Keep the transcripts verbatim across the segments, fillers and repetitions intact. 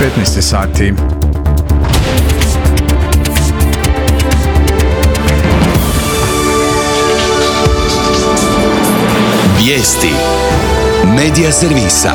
petnaest sati. Vijesti Medija servisa.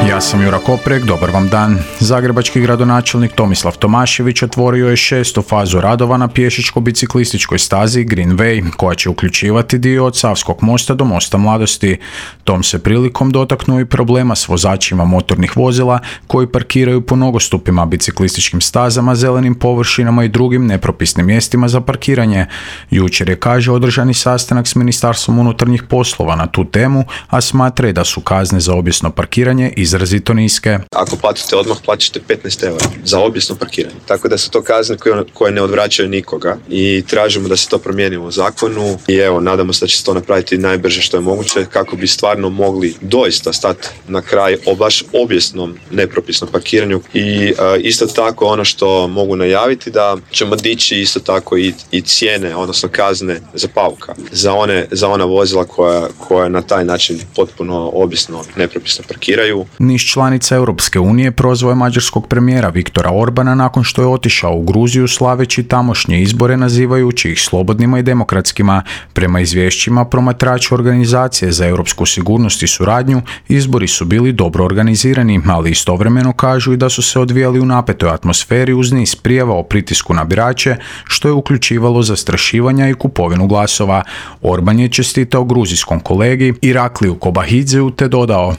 Ja sam Jura Koprek, dobar vam dan. Zagrebački gradonačelnik Tomislav Tomašević otvorio je šestu fazu radova na pješačko-biciklističkoj stazi Green Way, koja će uključivati dio od Savskog mosta do Mosta Mladosti. Tom se prilikom dotaknuo i problema s vozačima motornih vozila koji parkiraju po nogostupima, biciklističkim stazama, zelenim površinama i drugim nepropisnim mjestima za parkiranje. Jučer je, kaže, održani sastanak s Ministarstvom unutarnjih poslova na tu temu, a smatra da su kazne za obijesno parkiranje izrazito niske. Ako platite odmah, plaćate petnaest eura za obijesno parkiranje. Tako da su to kazne koje, koje ne odvraćaju nikoga i tražimo da se to promijeni u zakonu i evo, nadamo se da će se to napraviti najbrže što je moguće kako bi stvarno mogli doista stati na kraj o baš obijesnom nepropisnom parkiranju i uh, isto tako ono što mogu najaviti da ćemo dići isto tako i, i cijene, odnosno kazne za pauka, za, one, za ona vozila koja, koja na taj način potpuno obijesno nepropisno parkiraju. Niz članica Europske unije prozvao je mađarskog premijera Viktora Orbana nakon što je otišao u Gruziju slaveći tamošnje izbore nazivajući ih slobodnima i demokratskima. Prema izvješćima promatrača Organizacije za europsku sigurnost i suradnju, izbori su bili dobro organizirani, ali istovremeno kažu i da su se odvijali u napetoj atmosferi uz niz prijava o pritisku na birače, što je uključivalo zastrašivanja i kupovinu glasova. Orban je čestitao gruzijskom kolegi Irakliju Kobahidzeu te dodao: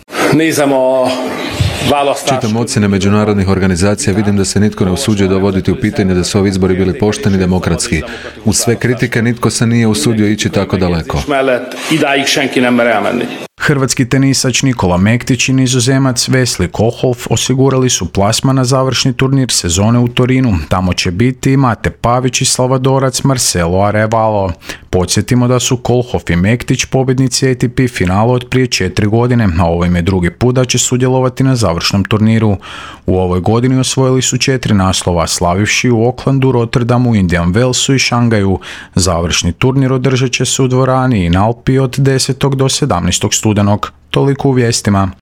Čitam ocjene međunarodnih organizacija, vidim da se nitko ne usuđuje dovoditi u pitanje da su ovi izbori bili pošteni i demokratski. Uz sve kritike nitko se nije usudio ići tako daleko. Hrvatski tenisač Nikola Mektić i Nizozemac Wesley Kohlhoff osigurali su plasman na završni turnir sezone u Torinu. Tamo će biti Mate Pavić i Salvadorac Marcelo Arevalo. Podsjetimo da su Kohlhoff i Mektić pobjednici A T P finala od prije četiri godine, a ovo im je drugi put da će sudjelovati na završnom turniru. U ovoj godini osvojili su četiri naslova, slavivši u Aucklandu, Rotterdamu, Indian Wellsu i Šangaju. Završni turnir održat će se u dvorani in Alpi od desetog do sedamnaestog studenog. Toliko u vijestima.